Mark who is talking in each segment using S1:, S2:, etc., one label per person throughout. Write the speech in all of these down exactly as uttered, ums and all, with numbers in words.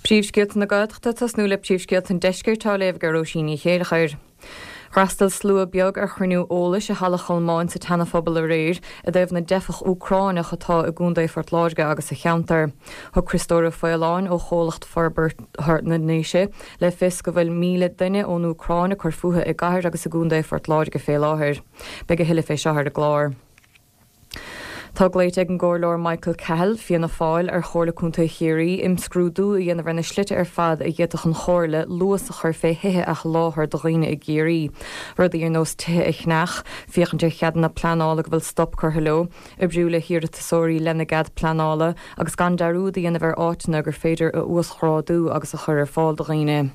S1: Príomhscéalta na Gaeltachta tosnú le príomhscéalta an deiscirt á léamh ag Róisín Ní Chéilleachair. D'fhreastail slua beag ar chruinniú eolais i Halla Cholmáin sa tSeana-Phobal aréir i dtaobh na dteifeach Úcránach atá i gContae Phort Láirge agus sa cheantar. Thug Criostóir Ó Faoláin ó Chomhlacht Forbartha na nDéise le fios go bhfuil míle duine ón Úcráin ag cur fúthu i gcathair agus i gContae Phort Láirge fé láthair. Beidh a thuilleadh fé seo ar an gclár. Tá glaoite ag an gComhairleoir Michael Cahill, Fianna Fáil, ar Chomhairle Contae Chiarraí imscrúdú a dhéanamh ar na slite ar fad a d'fhéadfadh an Chomhairle luas a chur fé thithe a sholáthar do dhaoine i gCiarraí. Rudaí ar nós tithe a cheannach, féachaint ar cheadanna pleanála go bhfuil stop curtha leo, oibriú le hiarratasóirí lena gcead pleanála agus gan dearúd a dhéanamh ar áiteanna gur féidir a uasghrádú agus a chur ar fáil do dhaoine.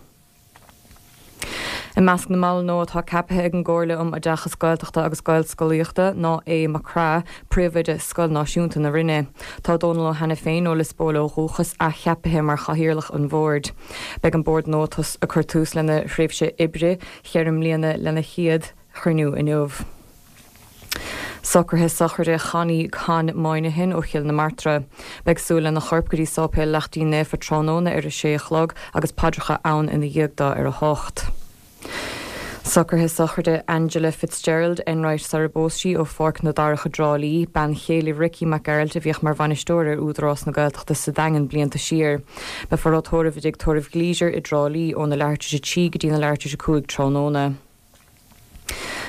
S1: I measc na mball nua atá ceaptha ag an gComhairle um Oideachas Gaeltachta agus Gaelscolaíochta ná Aodh Mac Craith, Príomhoide Scoil Náisiúnta na Rinne. Tá Dónal Ó hAiniféin ó Lios Póil ó dhúchas athcheaptha mar chathaoirleach an bhoird. Beidh an bord nua ag cur tús lena thréimhse oibre cheithre bliana lena chéad chruinniú inniu. Socruithe sochraide Chonnie Con Moynihan ó Chill na Martra. Beidh siúl lena chorp go dtí Sáipéal Laichtín Naofa tráthnóna ar a sé a chlog agus paidreacha ann ina dhiaidh dó ar a hocht. Socruithe sochraide Angela Fitzgerald Enright sara bpós sí ó Pháirc na Darach i dTrá Lí, bean chéile Ricky Mac Gearailt a bhíodh mar bhainisteoir ar Údarás na Gaeltachta sa Daingean blianta siar. Beifear á tórramh i dtigh tórraimh Gleaser i dTrá Lí óna leathuair tar éis a trí go dtí na leathuair tar éis a cúig tráthnóna.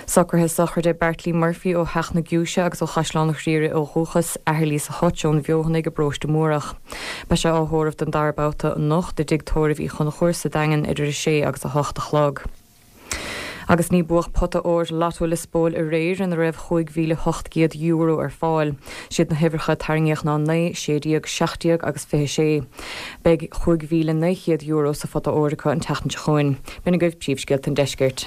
S1: Socruithe sochraide Bertie Murphy ó Theach na Giúise agus ó Chaisleán an Ghriaire ó dhúchas, athair Lisa Hutch ón Bhfeothanaigh i bparóiste Múrach. Beidh sé á thórramh don dara babhta anocht i dtigh tórraimh Uí Chonchúir sa Daingean idir a sé agus a hocht a chlog. Agus ní buadh pota óir Lotto Lios Póil aréir ina raibh cúig mhíle hocht gcéad euro ar fáil. Siad na huimhreacha tarraingíodh ná naoi, sé déag, seacht déag agus fiche sé. Beidh cúig mhíle naoi chéad euro sa phota óir acu an tseachtain seo chugainn. B'in agaibh príomhscéalta an deiscirt.